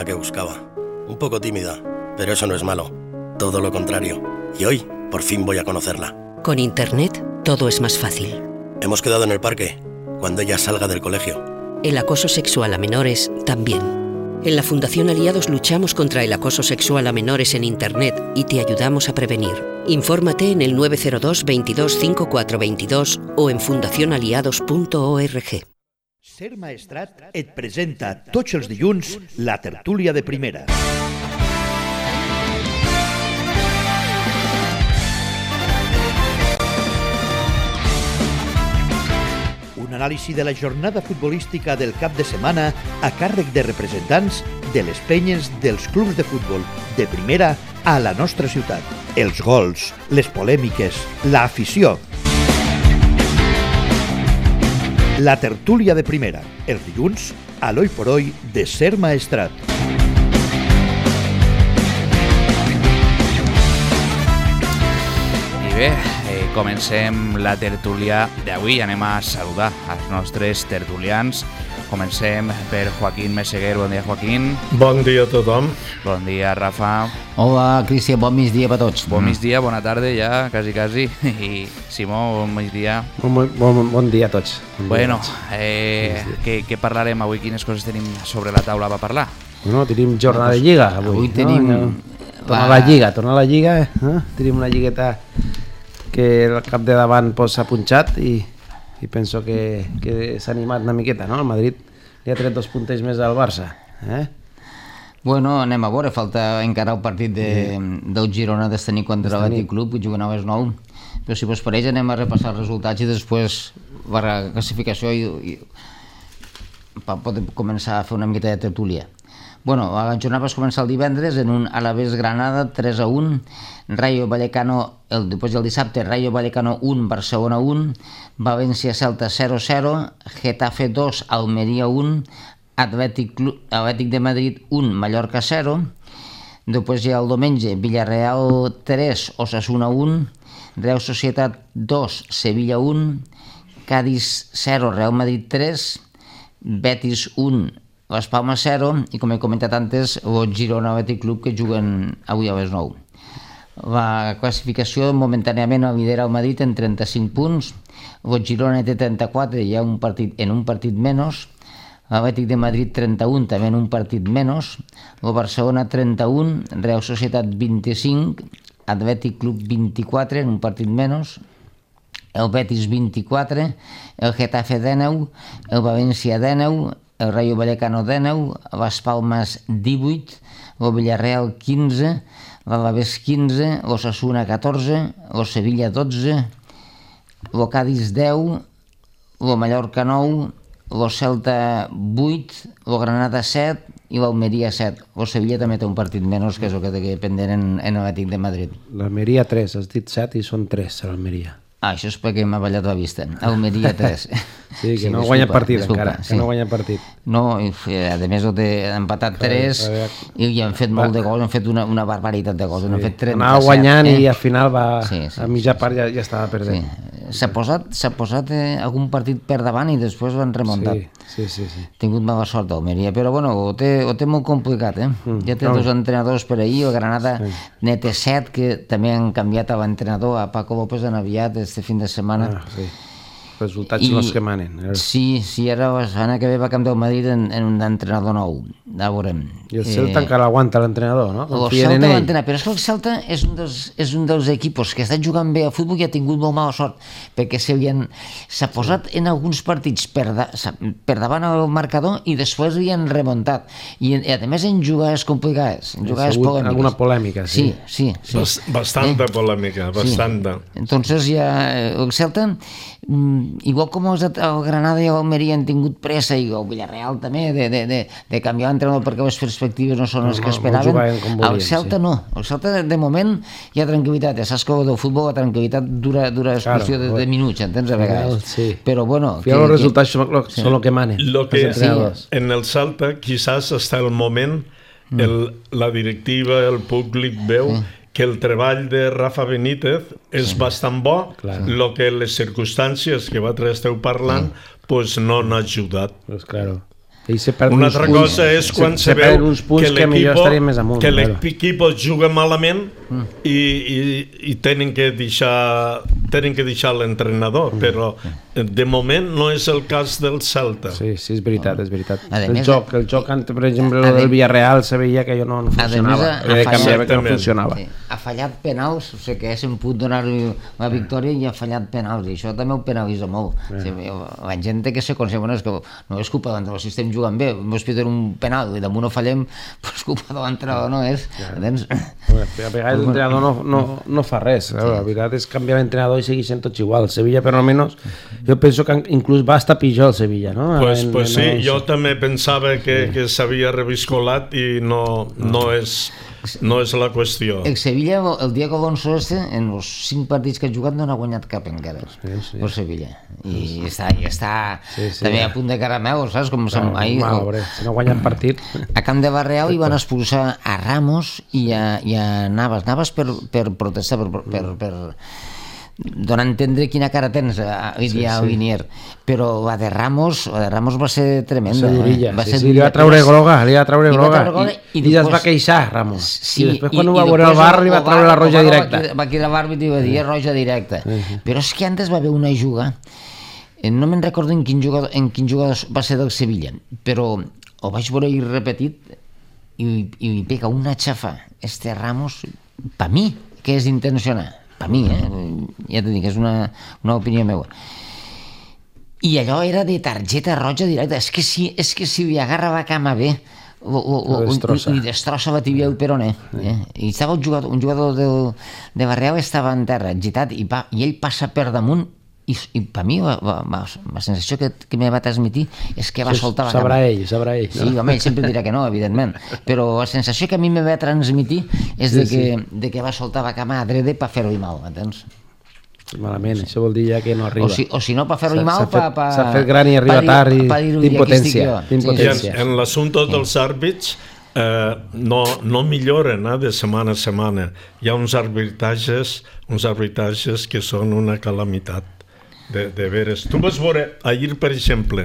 La que buscaba. Un poco tímida, pero eso no es malo. Todo lo contrario. Y hoy, por fin voy a conocerla. Con Internet, todo es más fácil. Hemos quedado en el parque, cuando ella salga del colegio. El acoso sexual a menores, también. En la Fundación Aliados luchamos contra el acoso sexual a menores en Internet y te ayudamos a prevenir. Infórmate en el 902 22 54 22 o en fundacionaliados.org. Ser Maestrat et presenta tots els dilluns la tertúlia de primera. Un anàlisi de la jornada futbolística del cap de setmana a càrrec de representants de les penyes dels clubs de futbol de primera a la nostra ciutat. Els gols, les polèmiques, l'afició. La tertúlia de primera, els dilluns, a l'Oi por Hoy de Ser Maestrat. I bé, comencem la tertúlia d'avui. Anem a saludar els nostres tertulians. Comencem per Joaquín Meseguer. Bon dia, Joaquín. Bon dia a tothom. Bon dia, Rafa. Hola, Cristian, bon migdia per tots. Bon migdia, bona tarda ja, quasi. I Simó, bon migdia. Bon dia a tots. Bueno, què parlarem avui? Quines coses tenim sobre la taula per parlar? Bueno, tenim jornada de Lliga avui. Tenim... Tornar a la Lliga. Tenim una lligueta que el cap de davant s'ha punxat i penso que s'ha animat una miqueta, no? El Madrid li ha tret 2 puntets més al Barça. Bueno, anem a veure, falta encara el partit del Girona d'esta nit contra l'Atlètic Club, que juguen a les 9, però si vos pareix anem a repassar els resultats i després per la classificació i per poder començar a fer una miqueta de tertúlia. Bueno, la jornada va començar el divendres en un Alavés Granada 3-1, Rayo Vallecano, després del dissabte, Rayo Vallecano 1, Barcelona 1, València Celta 0-0, Getafe 2, Almeria 1, Atlètic de Madrid 1, Mallorca 0, després ja el diumenge, Villarreal 3, Osasuna 1, Real Societat 2, Sevilla 1, Cádiz 0, Real Madrid 3, Betis 1, Las Palmas 0 i, com he comentat antes, el Girona Atlètic Club que juguen avui a les 9. La classificació momentàniament lidera el Madrid en 35 punts, el Girona té 34, hi ha un partit menys, l'Atlètic de Madrid 31, també en un partit menys, el Barcelona 31, Real Societat 25, Atlètic Club 24, en un partit menys, el Betis 24, el Getafe 19, el València 19, el Rayo Vallecano 19, Las Palmas 18, el Villarreal 15, l'Alavés 15, l'Osasuna 14, el Sevilla 12, el Cádiz 10, el Mallorca 9, el Celta 8, el Granada 7 i l'Almeria 7. El Sevilla també té un partit menys, que és el que té pendent en l'Atlètic de Madrid. L'Almeria 3, has dit 7 i són 3 a l'Almeria. Això és perquè m'ha ballat la vista. Almeria 3. Sí, que no guanya partit encara. Que no guanya partit. No, a més han empatat 3 i han fet molt de gols, han fet una barbaritat de gols. Anava guanyant i al final a mitja part ja estava perdent. S'ha posat algun partit per davant i després l'han remuntat. Sí. Ha tingut mala sort Almeria, però bueno, ho té molt complicat. Ja té 2 entrenadors per ahir, el Granada ne té 7, que també han canviat a l'entrenador, a Paco López han aviat este fin de setmana. Resultats són els que manen. Sí, ara la setmana que ve va canviar el Madrid en un entrenador nou. Ja veurem. I el Celta encara aguanta l'entrenador, no? El Celta l'entrenador, però és que el Celta és un dels equipos que està jugant bé a futbol i ha tingut molt mala sort, perquè s'ha posat en alguns partits per davant el marcador i després li han remuntat. I a més en jugades complicades, en jugades polèmiques. Alguna polèmica, sí. Sí. Bastanta polèmica, bastanta. Entonces ja el Celta, igual com el Granada i l'Almeria han tingut pressa, i el Villarreal també, de canviar l'entrenador perquè les perspectives no són les que esperaven, el Celta no. El Celta de moment hi ha tranquil·litat. Saps que del futbol la tranquil·litat dura qüestió de minuts, entens, a vegades. Però bueno... Els resultats són el que manen. En el Celta quizás hasta el moment la directiva, el públic veu que el treball de Rafa Benítez és bastant bo, el que les circumstàncies que vosaltres esteu parlant pues no han ajudat. Pues claro. Una altra cosa és quan se veu que l'equip juga malament i tenen que deixar l'entrenador, però de moment no és el cas del Celta. Sí, és veritat, és veritat. El joc, per exemple, el del Villarreal se veia que no funcionava. Ha fallat penals, o sigui que haguéssim pogut donar-li la victòria i ha fallat penals, i això també ho penalitza molt. La gent té que ser conscient, és que no és culpa d'entrenador, si estem jugant bé, ens piden un penal i damunt no fallem, és culpa de l'entrenador, no és? A vegades l'entrenador no fa res, la veritat és canviar l'entrenador i seguir sent tots igual. El Sevilla, per almenys, jo penso que inclús va estar pitjor el Sevilla, no? Pues sí, jo també pensava que s'havia reviscolat i no és la qüestió. El Sevilla, el Diego Alonso en els 5 partits que ha jugat no n'ha guanyat cap encara, el Sevilla. I està també a punt de caramel, saps? Com si no ha guanyat partit. A Camp de Barreal hi van expulsar a Ramos i a Navas per protestar, per donar a entendre quina cara tens a Linier, però la de Ramos va ser tremenda. Li va treure groga i es va queixar Ramos, i després quan ho va veure al bar li va treure la roja directa. Va cridar l'àrbit i va dir roja directa, però és que antes va haver una juga, no me'n recordo en quin jugador va ser del Sevilla, però ho vaig veure repetit i li pega una xafa Ramos, per mi que és intencional, per mi, ja t'ho dic, és una opinió meva. I allò era de targeta roja directa, és que si li agarra la cama bé, li destrossa la tibia el peroné. I estava un jugador de Barreal, estava en terra, agitat, i ell passa per damunt, i per mi la sensació que me va transmitir és que va soltar la cama. Sabrà ell. Sí, home, ell sempre dirà que no, evidentment, però la sensació que a mi me va transmitir és de que va soltar la cama adrede per fer-li mal, entens? Malament, això vol dir ja que no arriba. O si no, per fer-li mal, s'ha fet gran i arriba tard d'impotència. En l'assumpte dels àrbits no milloren de setmana a setmana. Hi ha uns arbitatges que són una calamitat. De veres. Tu vas veure ahir, per exemple,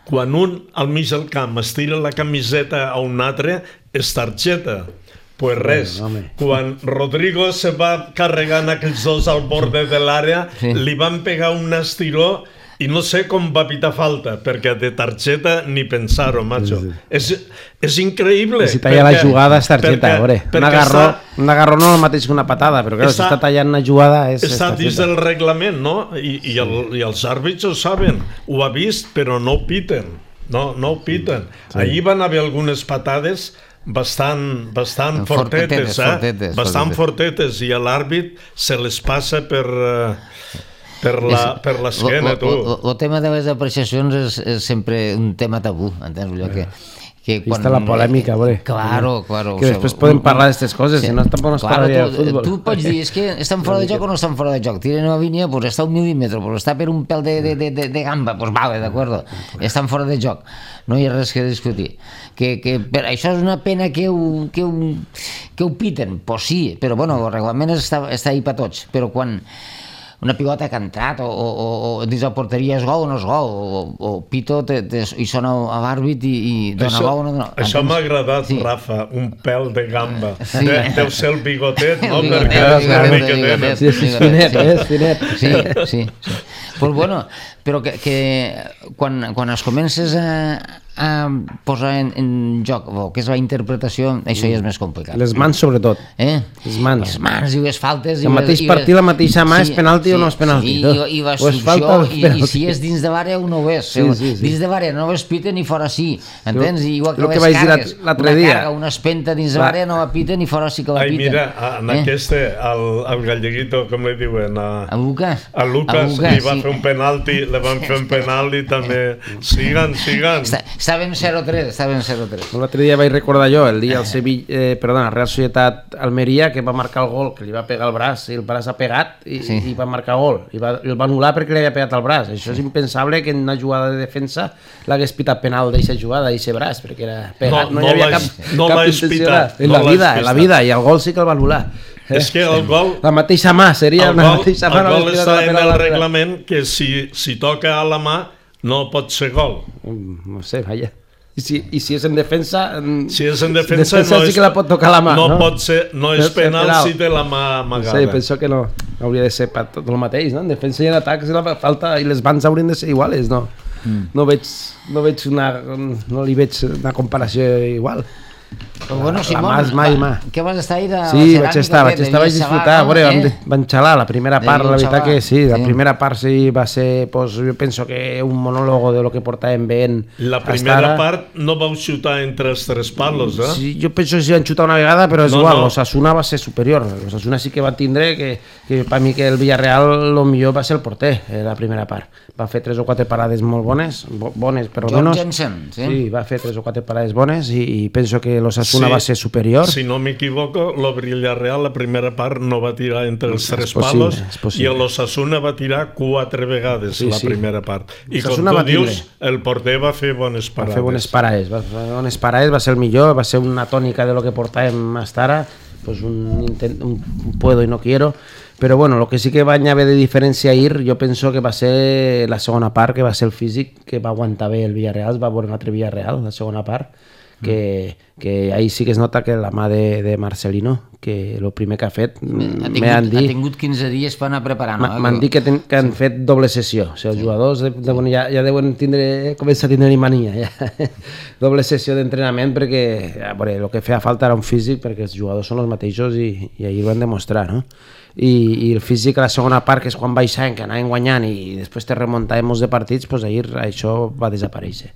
quan un al mig del camp estira la camiseta a un altre, és targeta. Pues res, quan Rodrigo se va carregant aquells dos al borde de l'àrea, li van pegar un estiró i no sé com va pitar falta, perquè de targeta ni pensar-ho, macho. És increïble. Si talla la jugada és targeta, un agarró no és el mateix que una patada, però si està tallant una jugada és targeta. Està dins del reglament, no? I els àrbits ho saben, ho ha vist, però no ho piten. No ho piten. Ahir van haver algunes patades bastant fortetes, bastant fortetes, i l'àrbit se les passa per l'esquena, tu. El tema de les apreciacions és sempre un tema tabú, entens? Vista la polèmica, claro. Que després podem parlar d'aquestes coses, si no tampoc no es parlaria de futbol. Tu pots dir, és que estan fora de joc o no estan fora de joc, tiren una línia, pues està un mil·límetre, pues està per un pèl de gamba, pues vale, d'acord, estan fora de joc, no hi ha res que discutir. Això és una pena que ho piten, pues sí, però bueno, el reglament està ahí per tots, però quan una pilota que ha entrat o dins la porteria és gol o no és gol, o pito i sona a l'àrbit i dona gol o no dona. Això m'ha agradat, Rafa, un pèl de gamba. Deu ser el bigotet, no? És finet. Sí. Pues bueno, però que quan es comences a posar en joc el que és la interpretació, això ja és més complicat. Les mans sobretot. Les mans i les faltes. El mateix partit, la mateixa mà és penalti o no és penalti. I la solució, i si és dins de l'àrea o no ho és. Dins de l'àrea no ho es piten i fora sí. Entens? Igual que les cargues. Una carga, una espenta dins de l'àrea no la piten i fora sí que la piten. Mira, en aquest, el galleguito, com li diuen? A Lucas. A Lucas li va fer un penalti, li van fer un penalti també. Siguen. Estàvem 0-3. L'altre dia vaig recordar jo, el dia Real Societat Almeria, que va marcar el gol, que li va pegar el braç, i el braç ha pegat i va marcar gol. I el va anul·lar perquè li havia pegat el braç. Això és impensable que en una jugada de defensa l'hagués pitat penal d'aquesta jugada, d'aquest braç, perquè era pegat. No hi havia cap intenció. En la vida, i el gol sí que el va anul·lar. És que el gol... La mateixa mà, seria la mateixa mà. El gol està en el reglament que si toca a la mà no pot ser gol. No sé, vaja. I si és en defensa... Si és en defensa no sí que la pot tocar la mà, no? No és penal si té la mà amagada. Sí, penso que no. Hauria de ser tot el mateix, no? En defensa i en atac la falta i les bans haurien de ser iguales, no? No li veig una comparació igual. Però bueno, Simón, què vas estar ahir de sí, vaig estar, vaig disfrutar, van xalar la primera part, la veritat que sí, la primera part sí va ser, pues, jo penso que un monòlogo de lo que portàvem veient. La primera part no vau xutar entre els tres palos, eh? Sí, jo penso que sí van xutar una vegada, però és igual, l'Osasuna va ser superior, l'Osasuna sí que va tindre que per mi que el Villarreal el millor va ser el porter, la primera part. Va fer 3 o 4 parades molt bones per almenys. Jensen, sí, va fer 3 o 4 parades bones i penso que l'Osasuna va ser superior. Si no m'equivoco, el Villarreal la primera part no va tirar entre els tres palos i l'Osasuna va tirar 4 vegades la primera part. I com tu dius, el porter va fer bones parades. Va fer bones parades, va ser el millor, va ser una tònica de lo que portàvem fins ara, pues un puedo y no quiero. Però bueno, el que sí que va haver de diferència ahir, jo penso que va ser la segona part, que va ser el físic, que va aguantar bé el Villarreal, va veure un altre Villarreal, la segona part, que ahí sí que es nota que la mà de Marcelino, que el primer que ha fet, m'han dit... Ha tingut 15 dies per anar preparant. M'han dit que han fet doble sessió, o sigui, els jugadors ja deuen començar a tindre mania, doble sessió d'entrenament, perquè el que feia falta era un físic, perquè els jugadors són els mateixos i ahir ho van demostrar, no? I el físic a la segona part, que és quan baixàvem, que anàvem guanyant i després te remuntàvem molts de partits, doncs ahir això va desaparèixer.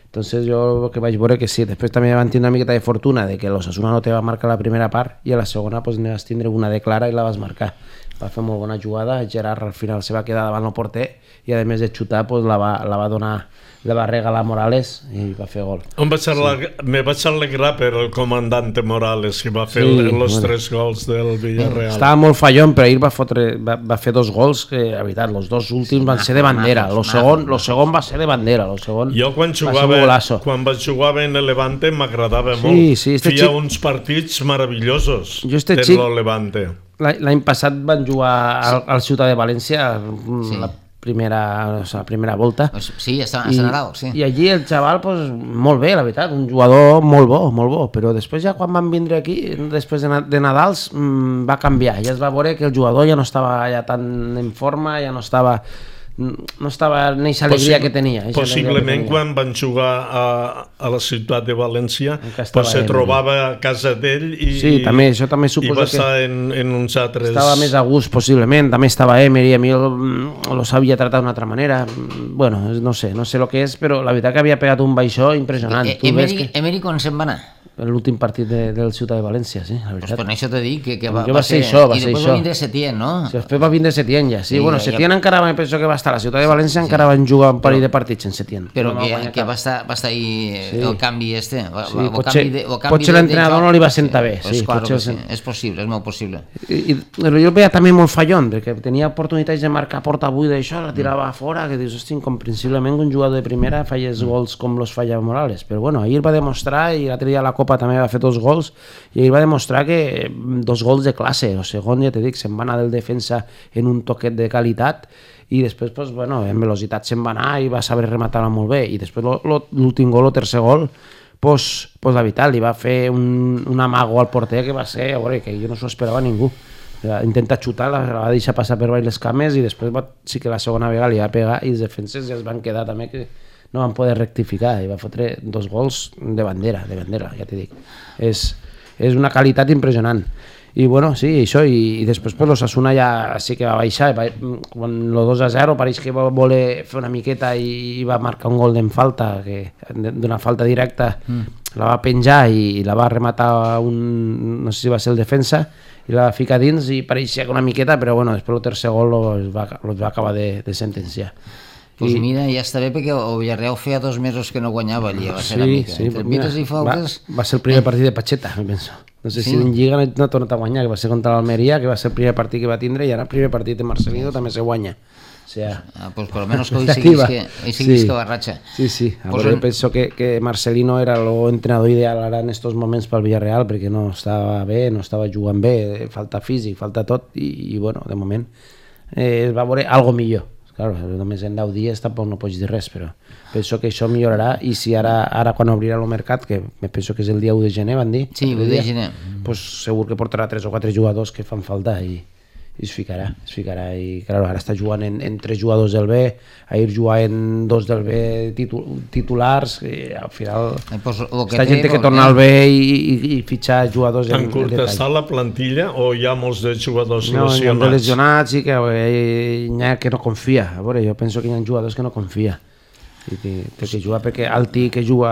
Entonces jo que vaig veure que sí, després també van tindre una miqueta de fortuna de que l'Osasuna no te va marcar la primera part i a la segona pues, ne vas tindre una de clara i la vas marcar. Va fer molt bona jugada, Gerard al final se va quedar davant el porter i a més de xutar pues, la va donar, la va regalar Morales i va fer gol. Me vaig alegrar per el comandante Morales que va fer els 3 gols del Villarreal. Estava molt fallón, però ahir va fer 2 gols que, la veritat, els 2 últims van ser de bandera. El segon va ser de bandera. Jo quan vaig jugar en el Levante m'agradava molt. Feia uns partits meravellosos del Levante. L'any passat van jugar al Ciutat de València la primera volta. Sí, a Nadal, sí. I allí el xaval, pues, molt bé, la veritat, un jugador molt bo, però després ja quan van vindre aquí, després de Nadals, va canviar, ja es va veure que el jugador ja no estava ja tan en forma, ja no estava en aquesta alegria que tenia. Possiblement quan van jugar a la ciutat de València se trobava a casa d'ell i va estar en uns altres... Estava més a gust, possiblement, també estava Emery, a mi lo sabia tratar d'una altra manera. Bueno, no sé el que és, però la veritat que havia pegat un baixó impressionant. Emery quan se'n va anar? L'últim partit del Ciutat de València, sí, la veritat. Per això t'he dit que va ser això. I després va vindre Setién, no? Després va vindre Setién, ja, sí. Bueno, Setién encara penso que va estar a la Ciutat de València, encara van jugar un parell de partits en Setién. Però que va estar ahí el canvi este. Potser l'entrenador no li va sentar bé. És possible, és molt possible. Jo el veia també molt fallón, perquè tenia oportunitats de marcar porta buida i això, la tirava a fora, que dius, hosti, incomprensiblement un jugador de primera fallés gols com los falla Morales. Però bueno, ahir va demostrar, i l'altre dia a la Copa també va fer 2 gols, i ahir va demostrar que 2 gols de classe. El segon, ja t'he dit, se'n va anar del defensa en un toquet de qualitat, i després, pues, bueno, en velocitat se'n va anar i va saber rematar-la molt bé, i després l'últim gol, el tercer gol, pues la veritat, li va fer un amago al porter que va ser, a veure, que jo no s'ho esperava ningú. Intenta xutar, la va deixar passar per baix les cames i després sí que la segona vegada li va pegar i els defenses ja es van quedar també que no van poder rectificar i va fotre 2 gols de bandera, ja t'he dit. És una qualitat impressionant. I bueno, sí, això, i després pues, l'Osasuna ja sí que va baixar, quan el 2-0 pareix que va voler fer una miqueta i va marcar un gol d'en falta, d'una falta directa, la va penjar i la va rematar no sé si va ser el defensa, i la va ficar dins i pareixia que una miqueta, però bueno, després el tercer gol els va acabar de sentenciar. Pues mira, ja està bé perquè el Villarreal feia 2 mesos que no guanyava allí a la ceràmica. Entre pites i faltes... Va ser el primer partit de Pacheta, em penso. No sé si en Lliga no ha tornat a guanyar, que va ser contra l'Almeria, que va ser el primer partit que va tindre, i ara el primer partit de Marcelino també se guanya. O sea, pues por lo menos que hoy seguís que barracha. Sí. Ahora yo pienso que Marcelino era el entrenador ideal ara en estos moments pel Villarreal, perquè no estava bé, no estava jugant bé, falta físic, falta tot, i bueno, de moment es va veure algo millor. Clar, només en 10 dies tampoc no pots dir res, però penso que això millorarà i si ara quan obrirà el mercat, que me penso que és el dia 1 de gener, van dir? Sí, 1 de gener. Pues segur que portarà 3 o 4 jugadors que fan falta i es ficarà i clar, ara està jugant en 3 jugadors del B, ahir jugava en 2 del B titulars i al final està gent que torna al B i fitxar jugadors en curta està la plantilla o hi ha molts de jugadors lesionats? Hi ha lesionats i que hi ha que no confia, a veure, jo penso que hi ha jugadors que no confia i té que jugar perquè Alti que juga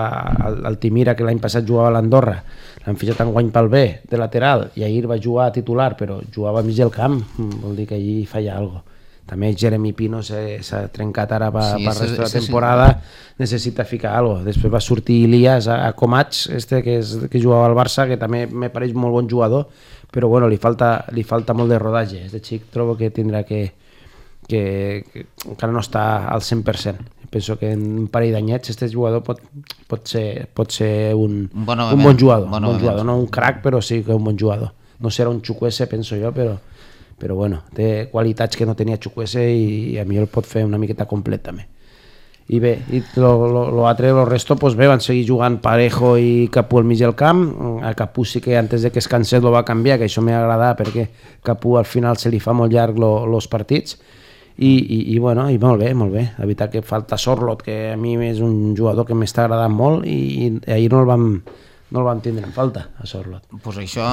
al Timira, que l'any passat jugava a l'Andorra, l'han fitxat enguany pel B de lateral i ahir va jugar a titular però jugava a mig del camp, vol dir que allí falla alguna cosa. També Jeremy Pino s'ha trencat ara per resta de la temporada, necessita ficar alguna cosa. Després va sortir Ilias a Comats, que jugava al Barça, que també me pareix molt bon jugador, però bueno, li falta molt de rodatge. Este xic trobo que tindrà que encara no està al 100%. Penso que en un parell d'anyets este jugador pot ser un bon jugador, no un crack, però sí que un bon jugador. No serà un Chukwueze, penso jo, però bueno, té qualitats que no tenia Chukwueze i a mi el pot fer una miqueta complet també. I bé, el resto pues bé, van seguir jugant Parejo i Capú al mig del camp. A Capú sí que antes de que es cansés lo va canviar, que això m'ha agradat perquè Capú al final se li fa molt llarg los partits. I bueno, i molt bé, la veritat que falta Sorloth, que a mi és un jugador que m'està agradant molt i ahir no el vam tindre en falta a Sorloth. Pues això,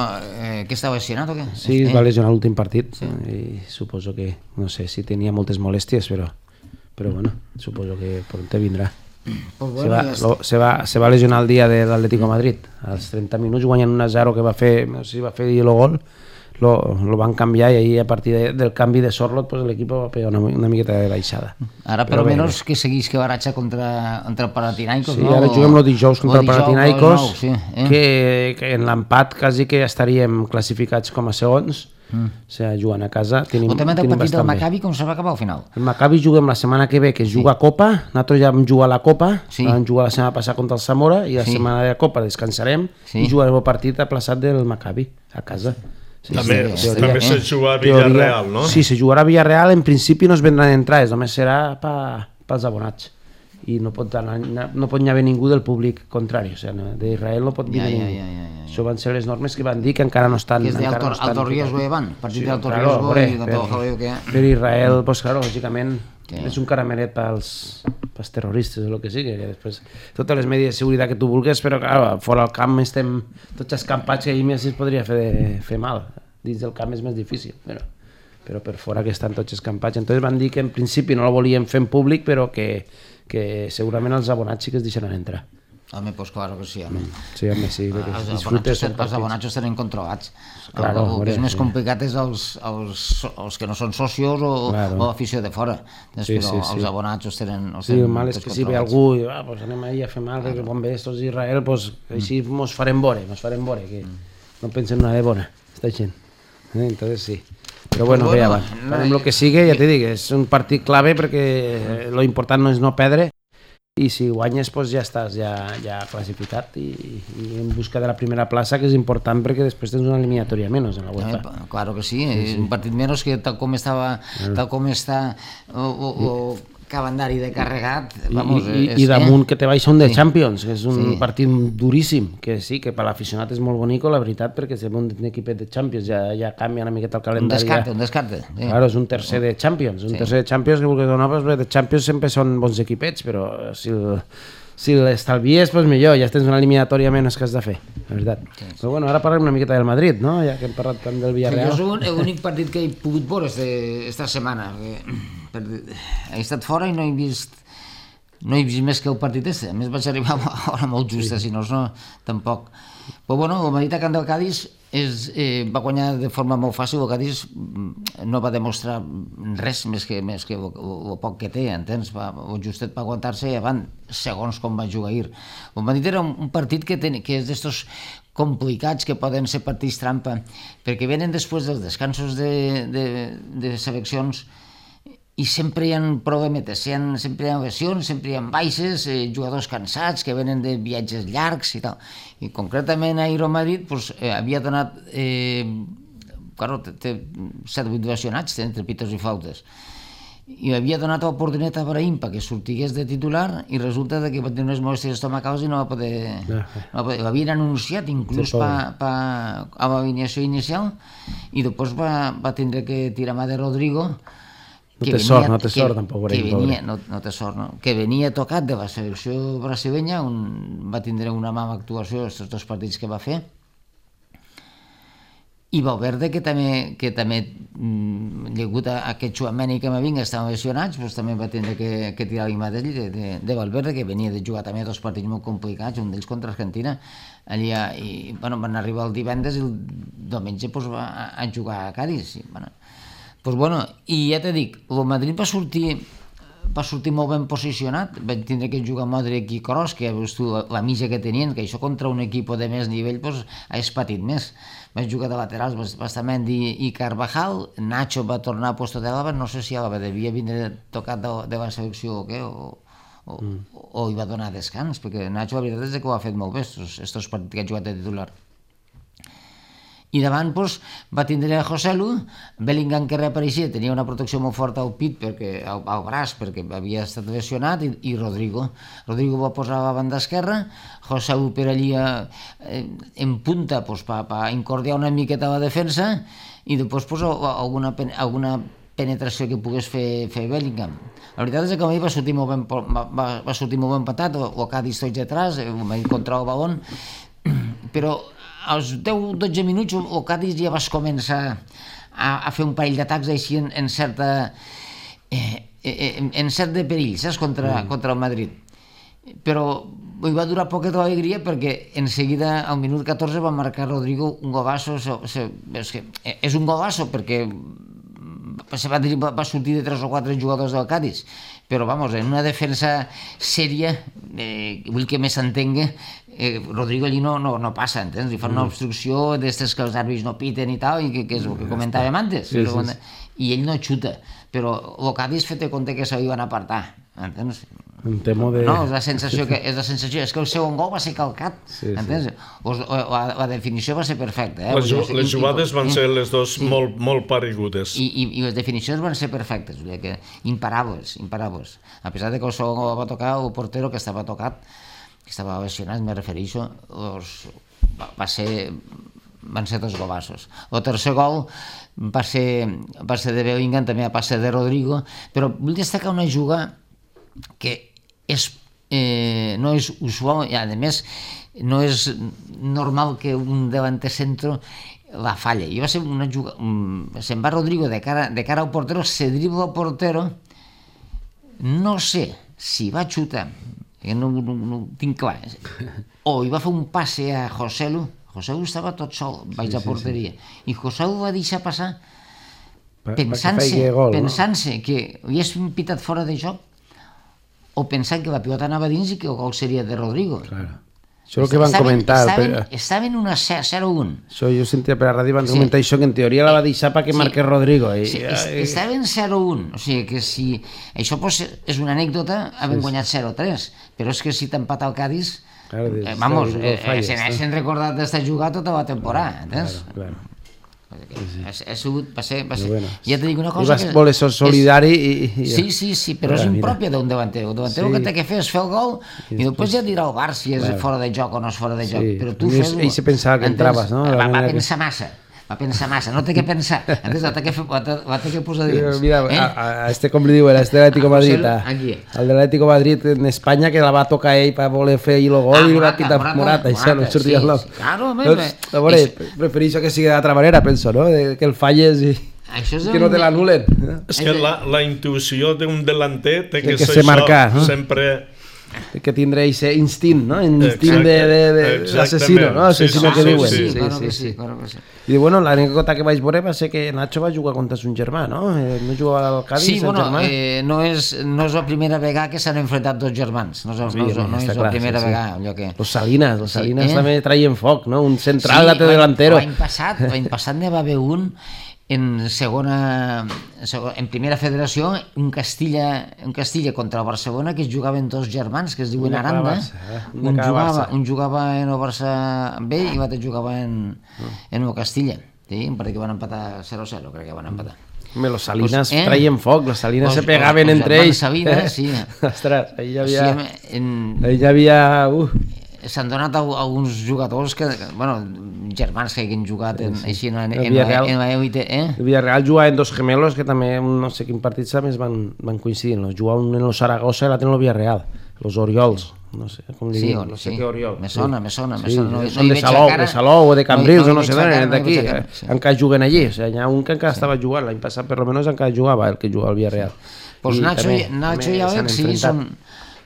que estava lesionat o què? Sí, es va lesionar l'últim partit i suposo que, no sé si tenia moltes molèsties, però bueno, suposo que pronto vindrà. Se va lesionar el dia de l'Atlético Madrid, als 30 minuts guanyant 1-0 que va fer, no sé si va fer el gol, lo van canviar i ahí a partir del canvi de Sorloth pues l'equip va pegar una miqueta de baixada. Ara per almenys que seguís que baratxa contra el Panathinaikos, no? Sí, ara juguem el dijous contra el Panathinaikos, que en l'empat quasi que estaríem classificats com a segons, o sigui, jugant a casa tenim bastant bé. El partit del Maccabi com se va acabar al final? El Maccabi juguem la setmana que ve, que es juga a Copa, nosaltres ja vam jugar a la Copa, vam jugar la setmana passada contra el Zamora i la setmana de la Copa descansarem i jugarem el partit aplaçat del Maccabi a casa. També se juga a Villarreal, no? Sí, se jugarà a Villarreal, en principi no es vendran entrades, només serà pels abonats i no pot haver ningú del públic contrari, o sigui, d'Israel no pot venir ningú. Això van ser les normes que van dir que encara no estan... Que és d'Alto Riesgo van, partit d'Alto Riesgo i de tot el que... Per Israel, doncs clar, lògicament és un carameret pels terroristes o el que sigui, que després totes les medides de seguretat que tu vulguis, però clar, fora al camp estem tots escampats que ahir més es podria fer mal, dins del camp és més difícil, però per fora que estan tots escampats. Entonces van dir que en principi no la volien fer en públic, però que segurament els abonats sí que es deixaran entrar. Home, doncs claro que sí, home. Sí, home, sí. Els abonats els tenen controlats. Claro, el que és més complicat és els que no són socios o l'afició de fora. Però els abonats els tenen controlats. Sí, el mal és que si ve algú i anem ahir a fer mal, perquè quan ve estos d'Israel, així mos farem vore, que no pensem una de bona, esta gent. Entonces sí. Però bueno, bé, farem el que sigui, ja t'he dit, és un partit clave perquè lo important no és no perdre i si guanyes ja estàs ja classificat i en busca de la primera plaça, que és important perquè després tens una eliminatòria menys en la UEFA. Claro que sí, és un partit menys que tal com està el calendari de carregat i damunt que te baixa un de Champions, que és un partit duríssim, que sí, que per l'aficionat és molt bonic, la veritat, perquè si un equipet de Champions ja canvia una miqueta el calendari. Un descarte. Claro, és un tercer de Champions, que vulguis donar, de Champions sempre són bons equipets, però si l'estalvies, doncs millor, ja tens una eliminatòria menys que has de fer, la veritat. Però bueno, ara parlem una miqueta del Madrid, no? Ja que hem parlat tant del Villarreal. Jo és l'únic partit que he pogut veure esta setmana. He estat fora i no he vist més que el partit este. A més vaig arribar a hora molt justa, si no, tampoc. Però bueno, el Madrid a camp del Cádiz va guanyar de forma molt fàcil. El Cádiz no va demostrar res més que el poc que té, entens? El justet va aguantar-se i avant, segons com va jugar ahir. El Madrid era un partit que és d'estos complicats, que poden ser partits trampa, perquè venen després dels descansos de seleccions i sempre hi ha problemes, sempre hi ha lesions, sempre hi ha baixes, jugadors cansats que venen de viatges llargs i tal. I concretament ahir el Madrid havia donat, té 7 o 8 lesionats entre pitos i flautes. i havia donat l'oportunitat a Brahim perquè sortigués de titular i resulta que va tenir unes molèsties estomacals i no va poder... L'havien anunciat inclús a l'alineació inicial i després va tindre que tirar mà de Rodrigo. No té sort tampoc, Brahim. No té sort, no? Que venia tocat de la selecció brasilenya, va tindre una mala actuació aquests 2 partits que va fer. I Valverde, que també degut a aquest Tchouaméni que m'ha vingut, estaven lesionats, doncs també va tindre que tirar l'ima de Valverde, que venia de jugar també 2 partits molt complicats, un d'ells contra Argentina. Allí, i van arribar el divendres i el diumenge a jugar a Cádiz. I ja t'he dit, el Madrid va sortir molt ben posicionat, van tindre que jugar Modric i Kroos, que ja veus tu la mitja que tenien, que això contra un equip de més nivell és patit més. Van jugar de laterals Bastamendi i Carvajal, Nacho va tornar a puesto de Álava, no sé si Álava devia vindre tocat de la selecció o què, o hi va donar descans, perquè Nacho la veritat és que ho ha fet molt bé, estos partits que ha jugat de titular. I davant va tindre Joselu, Bellingham que reapareixia, tenia una protecció molt forta al pit, al braç, perquè havia estat lesionat, i Rodrigo va posar a la banda esquerra, Joselu per allí en punta per incordiar una miqueta la defensa i després alguna penetració que pogués fer Bellingham. La veritat és que a mi va sortir molt ben patat, o Cádiz tots detrás, contra el balón, però als 10-12 minuts el Cádiz ja vas començar a fer un parell d'atacs així en cert de perill, saps, contra el Madrid. Però hi va durar poquet d'alegria perquè en seguida al minut 14 va marcar Rodrigo un golazo. És un golazo perquè va sortir de 3 o 4 jugadors del Cádiz, però en una defensa sèria, vull que més s'entengui, Rodrigo allí no passa, entens? Li fan una obstrucció d'estes que els àrbits no piten i tal, i que és el que comentàvem antes, i ell no xuta, però el Cádiz fet compte que se li van apartar, entens? Un temo de... No, és la sensació, és que el segon gol va ser calcat, entens? La definició va ser perfecta. Les jugades van ser les dues molt paregudes. I les definicions van ser perfectes, imparables. A pesar de que el segon gol va tocar el portero que estava tocat, que estava lesionat, me refereixo, van ser 2 golazos. El tercer gol va ser de Bellingham, també va ser de Rodrigo, però vull destacar una jugada que no és usual i a més no és normal que un delanter centro la falle. I va ser una jugada, se'n va Rodrigo de cara al portero, se dribla al portero, no sé si va xutar, no ho tinc clar, o hi va fer un passe a Joselu estava tot sol baix a porteria, i Joselu va deixar passar pensant-se que hi és un pitat fora de joc, o pensant que la pilota anava dins i que el gol seria de Rodrigo. Això és el que van comentar. Estaven una 0-1. Jo sentia per la ràdio van comentar això, que en teoria la va deixar perquè marqués Rodrigo. Estaven 0-1, o sigui que si... Això és una anècdota, havent guanyat 0-3, però és que si t'empat el Cádiz, s'han recordat d'estar jugat tota la temporada, entens? Va ser... Ja t'he dit una cosa... I vas voler ser solidari i... Sí, però és impròpia d'un delanter. El delanter el que té que fer és fer el gol i després ja dirà el Bar si és fora de joc o no és fora de joc. Però tu fes-ho... Ell se pensava que entraves, no? Va pensar massa, no té que pensar, la té que posar dins. Mira, com li diuen, de l'Atlético Madrid, el de l'Atlético Madrid en Espanya, que la va tocar ell per voler fer el gol i li va pitar Morata, això no sortia el nom. Claro, prefereixo que sigui d'altra manera, penso, no? Que el falles i que no te l'anulen. És que la intuïció d'un delanter té que ser això, sempre... que tindrà aquest instint, no? Instint d'assassino, no? Assassino que diuen. Sí. I bueno, l'anècdota que vaig veure va ser que Nacho va jugar contra son germà, no? No jugava al Cádiz, sí, bueno, no és la primera vegada que s'han enfrontat 2 germans, no és la primera vegada. Los Salinas també traien foc, no? Un central, l'altre delantero. L'any passat n'hi va haver un en primera federació, un Castilla contra el Barcelona, que es jugaven 2 germans que es diuen Aranda. Un jugava en el Barça B i l'altre jugava en el Castilla, perquè van empatar 0-0, crec que van empatar. Los Salinas traien foc, los Salinas se pegaven entre ells. Salinas, sí. Ostres, ahí hi havia... S'han donat alguns jugadors que, bueno, germans que hagin jugat així en la elite. El Villarreal jugaven dos gemelos que també, no sé quin partit més van coincidir. Jugaven en el Saragossa i l'altre en el Villarreal, los Oriols. No sé com li diuen, no sé què Oriol. Me sona. Són de Salou o de Cambrils o no sé d'on, d'aquí. Encara juguen allí. Hi ha un que encara estava jugant, l'any passat per almenys encara jugava el que jugava al Villarreal. Pues Nacho i Alex sí,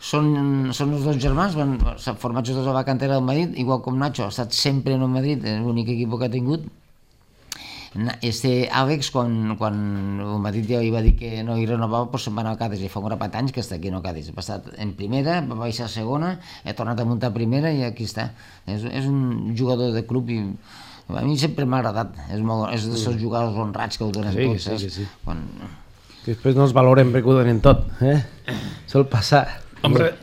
són els dos germans, formats tots a la cantera del Madrid, igual com Nacho ha estat sempre en el Madrid, és l'únic equip que ha tingut. Àlex, quan el Madrid ja li va dir que no hi renovava, doncs se'n va anar al Cádiz, i fa un grapat d'anys que està aquí en el Cádiz. Ha estat en primera, va baixar a segona, ha tornat a muntar a primera i aquí està. És un jugador de club i a mi sempre m'ha agradat. És dels jugadors honrats que ho donen tots. Sí. Després no els valoren perquè ho donen tot. Sol passar. Hombre,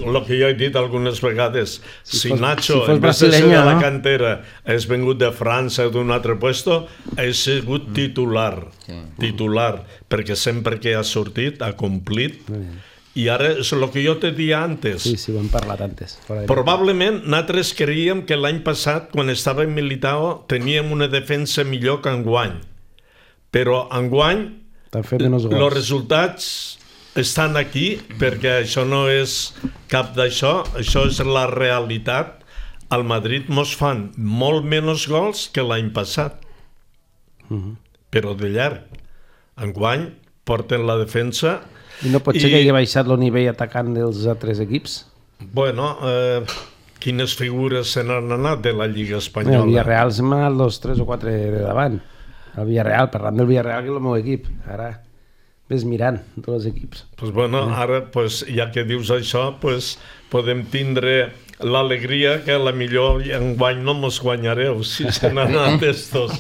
lo que jo he dit algunes vegades, si Nacho, en vez de ser de la cantera, és vengut de França d'un altre puesto, ha sigut titular, perquè sempre que ha sortit ha complit. I ara és el que jo te dia antes. Sí, ho hem parlat antes. Probablement nosaltres creiem que l'any passat, quan estava en Militao, teníem una defensa millor que enguany. Però enguany, els resultats estan aquí, perquè això no és cap d'això, això és la realitat. Al Madrid mos fan molt menys gols que l'any passat, però de llarg. Enguany porten la defensa. I no pot ser que hagi baixat el nivell atacant dels altres equips? Bueno, quines figures se n'han anat de la Lliga Espanyola? El Villarreal se'n va anar 2, 3 o 4 de davant. El Villarreal, parlant del Villarreal, que és el meu equip. Ara ves mirant tots els equips. Pues bueno, ara, ja que dius això, podem tindre l'alegria que a la millor enguany no mos guanyareu si se n'han anat estos.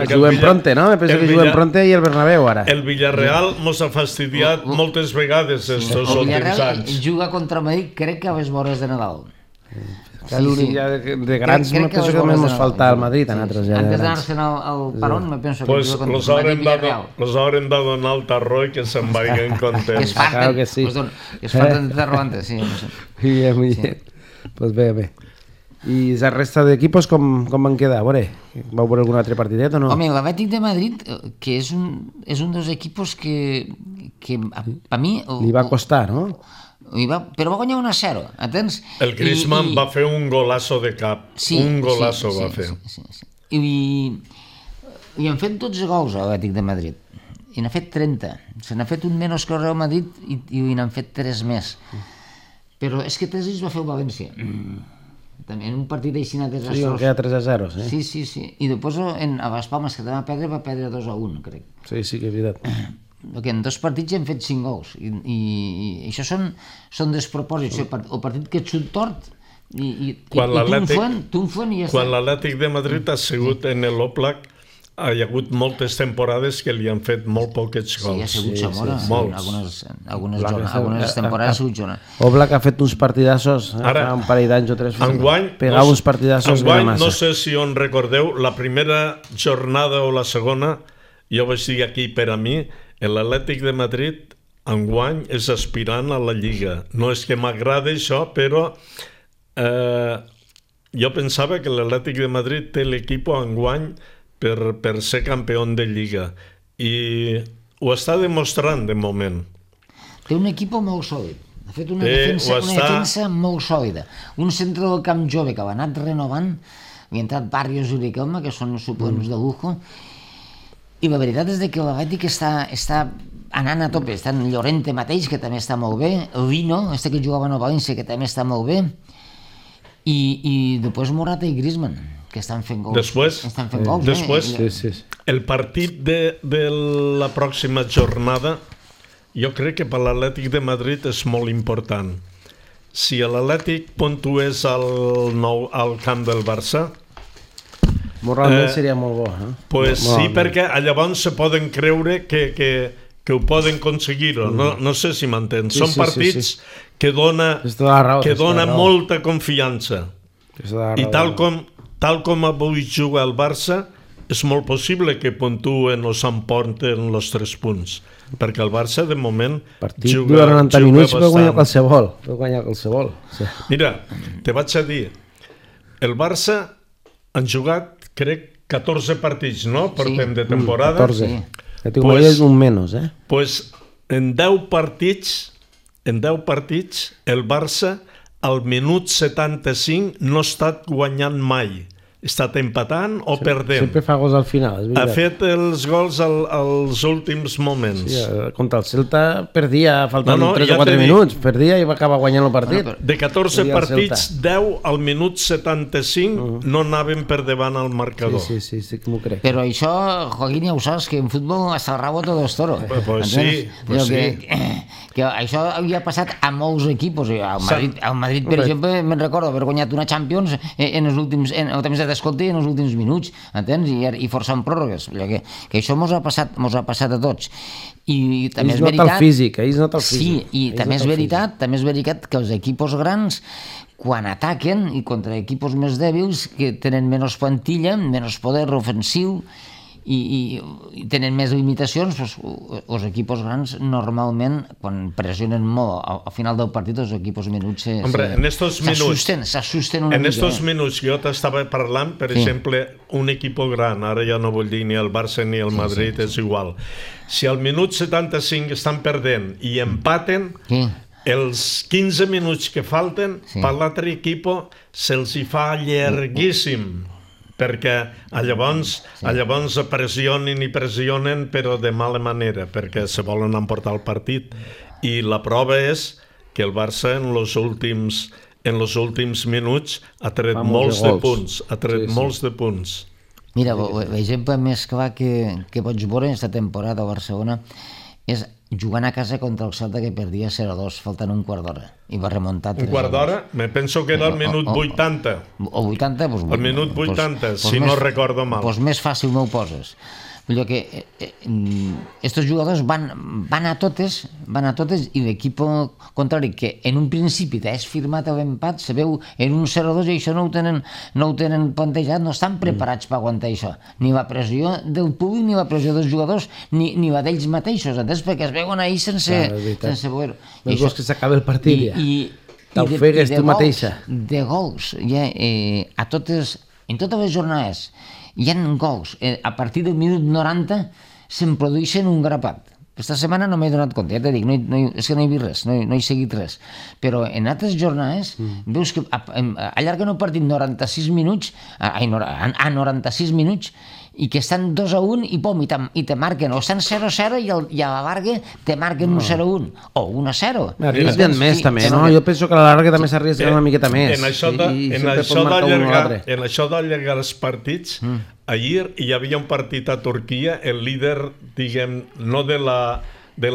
Juguem pronte, no? Penso que juguem pronte i el Bernabéu ara. El Villarreal mos ha fastidiat moltes vegades estos últims anys. El Villarreal juga contra Madrid, crec que a les vores de Nadal. De grans me penso que només ens falta al Madrid a nosaltres. Antes d'anar-se'n al Parón me penso que juga contra Madrid i Villarreal. Los haurem de donar al tarro i que se'n vagin contents. Claro que sí. Es falten de tarro antes, sí. Muy bien. Pues bé. I la resta d'equipos com van quedar? Vau veure algun altre partidet o no? Home, l'Atlètic de Madrid, que és un dels equipos que a mi... Li va costar, no? Però va guanyar 1-0, entens? El Griezmann va fer un golazo de cap, un golazo va fer. I han fet 12 gols a l'Atlètic de Madrid, i n'ha fet 30. Se n'ha fet un menys que el Real Madrid i n'han fet 3 més. Però és que 3 ells va fer el València. També en un partit així desastrós. Sí, on queda 3-0, sí. Sí. I després a les Palmes, que també va perdre 2-1, crec. Sí, que és veritat. Perquè en 2 partits hem fet 5 gols i això són despropòsits. El partit que et surt tort i t'unfen i ja està. Quan l'Atlètic de Madrid ha sigut en l'Oblak, hi ha hagut moltes temporades que li han fet molt poquets gols. Sí, ha sigut Zamora. Algunes temporades ha sigut Zamora. Oblak ha fet uns partidassos fa un parell d'anys o 3. Pegava uns partidassos de massa. No sé si on recordeu, la primera jornada o la segona, jo vaig dir aquí per a mi, l'Atlètic de Madrid enguany és aspirant a la Lliga. No és que m'agrada això, però jo pensava que l'Atlètic de Madrid té l'equip enguany per ser campió de Lliga. I ho està demostrant de moment. Té un equip molt sòlid. Ha fet una defensa molt sòlida. Un centre del camp jove que l'ha anat renovant, hi ha entrat Barrios i Riquelme, que són suplents de lujo. I la veritat és que l'Atlètic està anant a tope. Està en Llorente mateix, que també està molt bé, el Vino, que jugava a València, que també està molt bé, i després Morata i Griezmann, que estan fent gols. Després, el partit de la pròxima jornada, jo crec que per l'Atlètic de Madrid és molt important. Si l'Atlètic puntués al camp del Barça, moralment seria molt bo. Pues sí, perquè llavors se poden creure que ho poden aconseguir. No sé si m'entens. Són partits que dona molta confiança. I tal com avui juga el Barça, és molt possible que puntuen o s'emporten els 3 punts, perquè el Barça de moment partit dura 90 minuts, bastant. Pot guanyar qualsevol. Sí. Mira, te vaig a dir, el Barça han jugat, crec, 14 partits, no? Portem de temporada. 14. Ja tinc pues, un menys, Pues en 10 partits, el Barça al minut 75 no ha estat guanyant mai. Ha estat empatant o perdent. Sempre fa gols al final, és veritat. Ha fet els gols als últims moments. Sí, contra el Celta perdia, faltant 3 o 4 minuts, perdia i va acabar guanyant el partit. De 14 partits, 10 al minut 75 no anaven per davant al marcador. Sí, que m'ho crec. Però això, Joaquín, ja ho saps, que en futbol hasta el rabo todo es toro. Pues sí, que això havia passat a molts equipos. Al Madrid, per exemple, me'n recordo haver guanyat una Champions en els últims, en el temps de descompte en els últims minuts, entens? I forçant pròrrogues. Que això mos ha passat a tots. I també és veritat... Ells nota el físic. Sí, i també és veritat que els equipos grans, quan ataquen, i contra equipos més dèbils, que tenen menys plantilla, menys poder ofensiu, i tenen més limitacions, els equipos grans normalment quan pressionen molt al final del partit els equipos minuts s'assusten una mica. En estos minuts jo t'estava parlant, per exemple, un equip gran, ara ja no vull dir ni el Barça ni el Madrid, és igual. Si al minut 75 estan perdent i empaten, els 15 minuts que falten per l'altre equip se'ls hi fa llarguíssim, perquè llavors pressionen però de mala manera, perquè se volen emportar el partit. I la prova és que el Barça en els últims minuts ha tret molts de punts. Mira, l'exemple més clar que pots veure aquesta temporada a Barcelona és jugant a casa contra el Celta, que perdia 0-2, faltant un quart d'hora, i va remuntar 3-2. Un quart d'hora? Me penso que era el minut 80. O 80? El minut 80, si no recordo mal. Doncs més fàcil no ho poses. Vull dir que estos jugadors van a totes i l'equip contrari, que en un principi t'has firmat l'empat, se veu en un 0-2 i això no ho tenen plantejat, no estan preparats per aguantar això. Ni la pressió del públic, ni la pressió dels jugadors, ni la d'ells mateixos, entens? Perquè es veuen ahir sense veure. Veus que s'acaba el partit ja. T'ofegues tu mateixa. De gols, en totes les jornades, hi ha gols. A partir del minut 90 se'n produeixen un grapat. Aquesta setmana no m'he donat compte, ja t'he dit, és que no he vist res, no he seguit res. Però en altres jornades veus que allarguen el partit 96 minuts, a 96 minuts, i que estan 2-1 i pom, i te marquen, o estan 0-0 i a la larga te marquen un 0-1 o 1-0. Arrisquen més també, no? Jo penso que a la larga també s'arrisquen una miqueta més. En això d'allargar els partits, ahir hi havia un partit a Turquia, el líder, diguem, no de la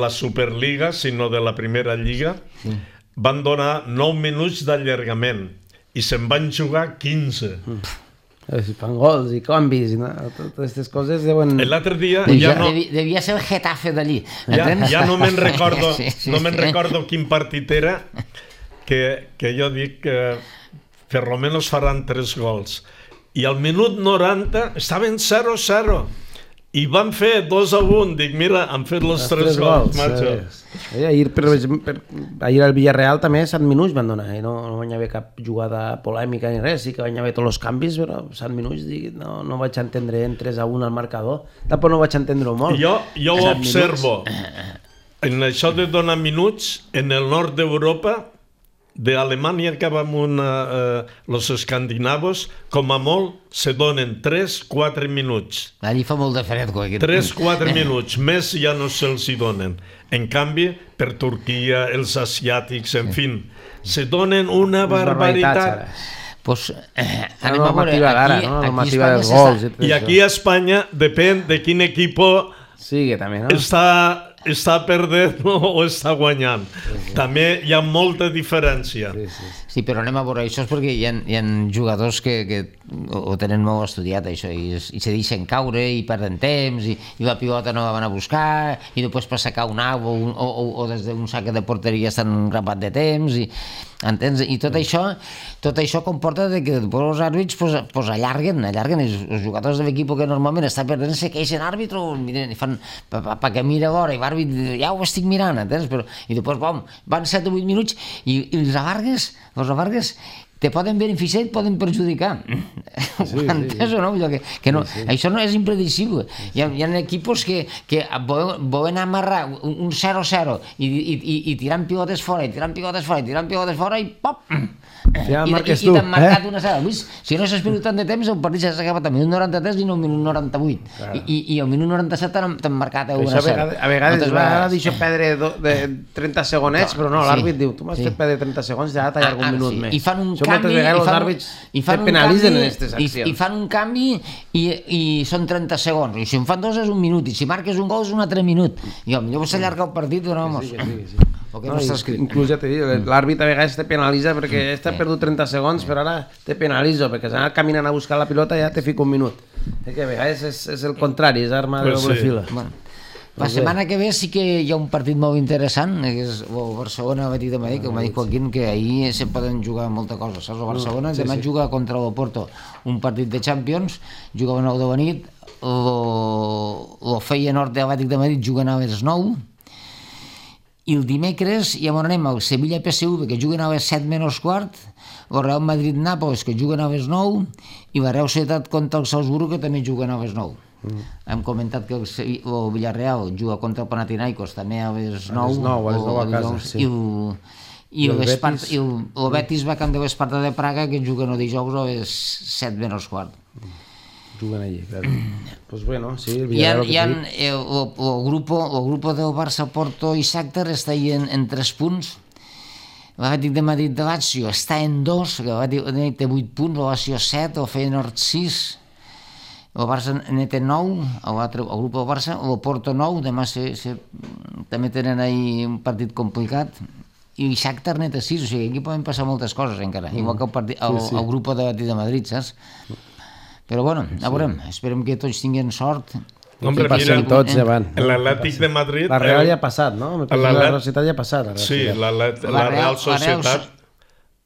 Superliga, sinó de la Primera Lliga, van donar 9 minuts d'allargament i se'n van jugar 15. Si fan gols i canvis, totes aquestes coses deuen... L'altre dia... Devia ser el Getafe d'allí. Ja no me'n recordo quin partit era, que jo dic que per lo menos faran 3 gols. I al minut 90 estaven 0-0 i van fer 2-1. Dic, mira, han fet els 3 gols, macho. Ahir al Villarreal també 7 minuts van donar, no van haver cap jugada polèmica ni res, sí que van haver tots els canvis, però 7 minuts no vaig entendre en 3-1 al marcador, tampoc no vaig entendre-ho molt. Jo ho observo, en això de donar minuts, en el nord d'Europa, d'Alemanya cap amunt els escandinavos, com a molt se donen 3-4 minuts. Allí fa molt de fred. 3-4 minuts, més ja no se'ls hi donen. En canvi, per Turquia, els asiàtics, en fi, se donen una barbaritat. Pues, la normativa d'ara, no? La normativa dels gols. I aquí a Espanya depèn de quin equip està perdent o està guanyant. També hi ha molta diferència. Sí, però anem a veure, això és perquè hi ha jugadors que ho tenen molt estudiat, això, i se deixen caure i perden temps, i la pilota no la van a buscar, i després per sacar un au o des d'un sac de porteria estan un grapat de temps, entens? I tot això comporta que després els àrbits pues allarguen els jugadors de l'equip que normalment està perdent se queixen àrbitro, miren, fan perquè mira a veure, i l'àrbit ja ho estic mirant, entens? I després van 7 o 8 minuts i els avargues te poden beneficiar i et poden perjudicar. Ho entens o no? Això no és impredicible. Hi ha equipos que volen amarrar un 0-0 i tirant pilotes fora, i pop! I t'han marcat una sala. Si no s'ha esperat tant de temps, el partit s'ha acabat a minut 93 i no al minut 98. I al minut 97 t'han marcat una sala. A vegades va deixar perdre 30 segonets, però no, l'àrbit diu, tu m'has fet perdre 30 segons, ja t'allargo un minut més. I fan un moltes vegades els àrbits te penalitzen en aquestes accions. I fan un canvi i són 30 segons. I si en fan dos és un minut. I si marques un gol és un altre minut. I potser s'allarga el partit, vamos. Inclús ja t'he dit, l'àrbit a vegades te penalitza perquè t'ha perdut 30 segons, però ara te penalitzo, perquè s'ha anat caminant a buscar la pilota i ja te fico un minut. Que a vegades és el contrari, és arma de doble fila. La setmana que ve sí que hi ha un partit molt interessant, que és el Barcelona-Betis de Madrid, que m'ha dit Joaquín que ahir se poden jugar molta cosa, saps? El Barcelona demà juga contra l'Oporto, un partit de Champions, juga a 9 de la nit, el Feyenoord de l'Atlètic de Madrid juguen a les 9, i el dimecres ja anem al Sevilla-PSV, que juguen a les 7 menys quart, el Real Madrid-Nàpols, que juguen a les 9, i la Real Societat contra el Salzburgo, que també juguen a les 9. Hem comentat que el Villarreal juga contra el Panathinaikos també a les 9 a casa, i el Betis va camp de l'Esparta de Praga, que juguen el dijous a les 7 menys quart. Juguen allí, claro. Pues bueno, sí, el Villarreal... El grupo del Barça, Porto i Shakhtar està ahí en 3 punts. L'Atlètic de Madrid de Lazio està en 2, l'Atlètic té 8 punts, el Lazio 7, el Feyenoord 6, el Barça en té 9, el grup del Barça, el Porto 9, demà també tenen ahí un partit complicat, i Shakhtar net 6, o sigui, aquí poden passar moltes coses encara, igual que el grup de l'Atlètic de Madrid, saps? Però bueno, a veurem, esperem que tots tinguin sort. Hombre, mira, tots van. L'Atlètic de Madrid... La Real ja ha passat, no? La Real Societat ja ha passat. Sí, la Real Societat...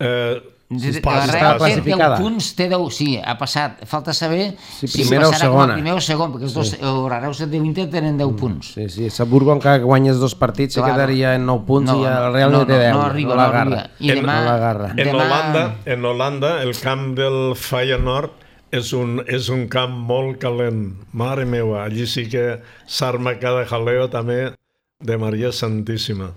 La Real té 10 punts, té 10, sí, ha passat. Falta saber si passarà com a primer o segon, perquè el Real Societat i l'Inter tenen 10 punts. Sí, sí, Salzburgo encara guanyes 2 partits se quedaria en 9 punts i el Real no té 10. No arriba, no arriba. I demà... En Holanda, el camp del Feyenoord és un camp molt calent. Mare meva, allí sí que s'arma cada jaleo també de Maria Santíssima.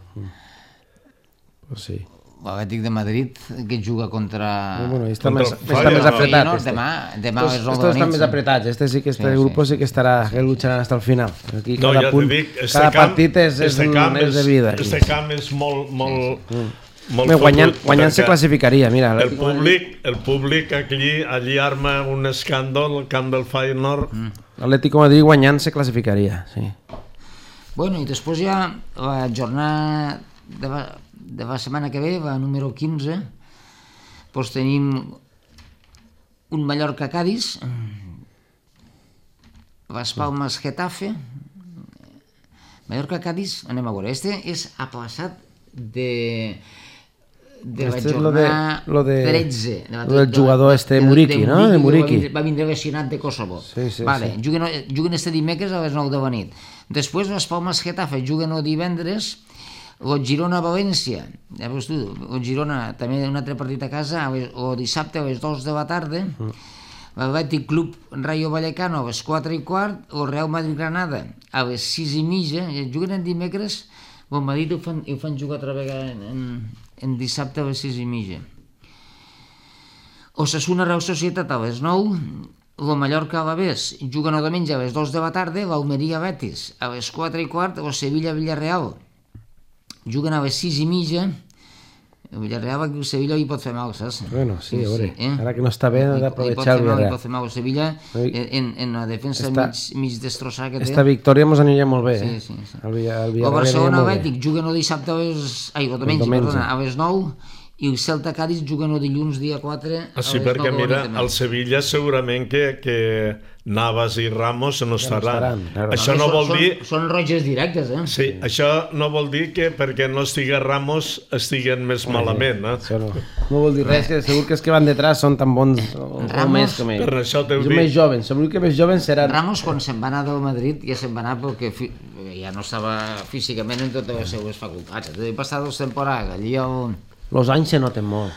Pues sí. L'Atlètic de Madrid, que juga contra... Bueno, està més apretat. Demà és el de Estos estan més apretats. Este grup sí que estarà, que lucharán hasta el final. Aquí cada punt, cada partit és de vida. Este camp és molt guanyant se classificaria, mira. El públic allí arma un escàndol al camp del Feyenoord. L'Atlético de Madrid guanyant se classificaria, sí. Bueno, i després ja la jornada de la setmana que ve, la número 15, doncs tenim un Mallorca-Cádiz, Las Palmas-Getafe, Mallorca-Cádiz, anem a veure, este és aplaçat de la jornada 13. Lo del jugador Muriqui, ¿no? De Muriqui. Va vindre lesionat de Kosovo. Vale, juguen este dimecres a les 9 de la nit. Després Las Palmas-Getafe juguen el divendres, el Girona-València, ja veus tu, el Girona també un altre partit a casa, el dissabte a les 2 de la tarda, l'Atlètic Club Rayo Vallecano a les 4:15, el Real Madrid-Granada a les 6:30, juguen en dimecres, el Madrid ho fan jugar altra vegada en dissabte a les 6:30. Osasuna-Real Societat a les 9, el Mallorca-Alavés juguen el diumenge a les 2 de la tarda, l'Almeria-Betis a les 4:15, el Sevilla-Villarreal juguen a les 6:30, el Villarreal, el Sevilla hi pot fer mal, saps? Bueno, sí, a veure, ara que no està bé, ha d'aprovechar el Villarreal. Hi pot fer mal, el Sevilla, en la defensa mig destrossada que té. Esta victòria ens aniria molt bé, Sí. El Barcelona Atlètic juguen el dissabte el diumenge, a les 9, i el Celta Cádiz juguen el dilluns dia 4 a les 9 Sí, perquè de la mira, nit. al Sevilla segurament que Navas i Ramos no estaran. claro. Això no vol dir... Són roges directes, Sí, això no vol dir que perquè no estigui Ramos estiguen més malament, Això no vol dir res, que segur que els que van detrás són tan bons o més com ells. Per això t'ho Són dic. més jovens, segur que més jovens seran... Ramos, quan se'n va anar del Madrid, ja se'n va anar perquè ja no estava físicament en totes les seues facultats. Va passar 2 temporades allí Los anys se noten molt.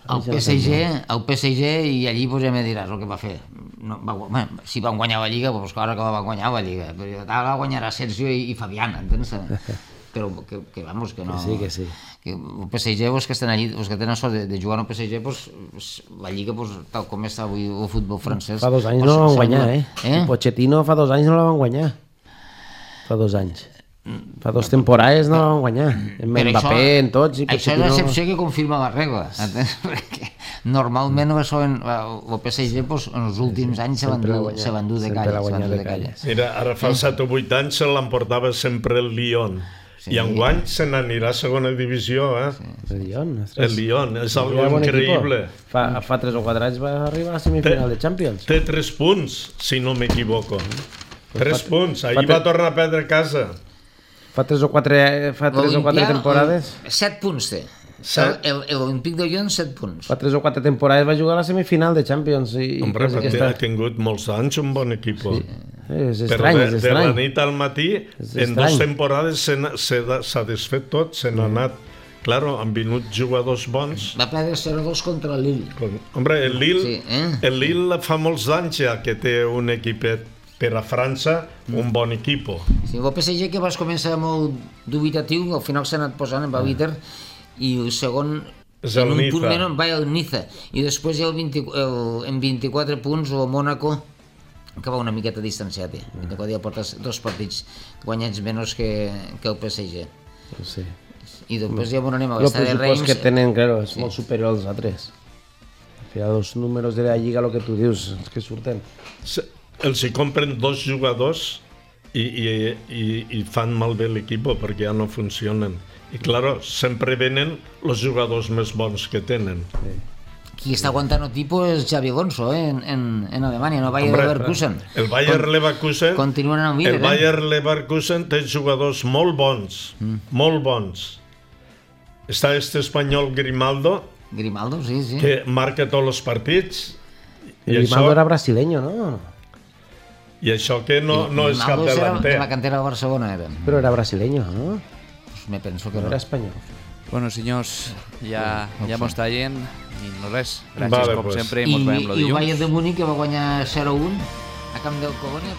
al PSG, i allí pues, ja me diràs el que va fer. No, si van guanyar la Lliga, pues ara que la va guanyar la Lliga. Però ara la guanyarà Sergio i Fabián, entens? Però que vamos, que no... Que sí. Que el PSG, pues, que estan allí, pues, que tenen sort de jugar al PSG, pues, la Lliga, pues, tal com està avui el futbol francès... Fa 2 anys no la van guanyar, Pochettino fa 2 anys no la van guanyar. Fa 2 anys. Fa 2 temporades no la van guanyar. En Mbappé, en tots... Això és l'excepció que confirma la regla. Perquè normalment el PSG pues, en els últims anys se van dur de calles. Mira, ara fa 7 o 8 anys se l'emportava sempre el Lyon. I enguany se n'anirà a segona divisió, El Lyon, El Lyon, és algo increïble. Fa 3 o 4 anys va arribar a la semifinal de Champions. Té 3 punts, si no m'equivoco. 3 punts, ahir va tornar a perdre a casa. Fa 3 o 4 temporades... 7 punts té. L'Olímpic de Lyon, 7 punts. Fa 3 o 4 temporades va jugar a la semifinal de Champions. Hombre, ha tingut molts anys un bon equip. És estrany, és Però de la estrany. nit al matí, en 2 temporades s'ha desfet tot, se n'ha anat. Claro, han vingut jugadors bons. Va perdre 0-2 contra el Lille. Hombre, el Lille fa molts anys ja que té un equipet per a França, un bon equip. Sí, el PSG que vas començar molt dubitatiu, al final s'ha anat posant amb el líder, i el segon en un punt menys va el Niza, i després hi ha en 24 punts el Mónaco, que va una miqueta distanciat, 24 ja portes 2 partits guanyats menys que el PSG. Sí. I després ja anem a l'estadi de Reims. El pressupost que tenen, claro, és molt superior als altres. Al final, els números de la Lliga, el que tu dius, és que surten. Els hi compren 2 jugadors i fan malbé l'equip perquè ja no funcionen. I claro, sempre venen els jugadors més bons que tenen. Qui està aguantant el tipus és Xabi Alonso, en Alemanya, no Bayer Leverkusen. El Bayer Leverkusen, continuen en el líder. El Bayer Leverkusen té jugadors molt bons, molt bons. Està espanyol Grimaldo, sí. Que marca tots els partits. Grimaldo era brasileño, ¿no? I això que no és cap delanter. De la cantera de Barcelona era. Però era brasileño, ¿no? Pues me penso que no. Era espanyol. Bueno, senyors, ja m'ho està dient i no res. Gràcies com sempre i mos veiem el dilluns. I el Bayern de Múnich que va guanyar 0-1 a camp del Colònia.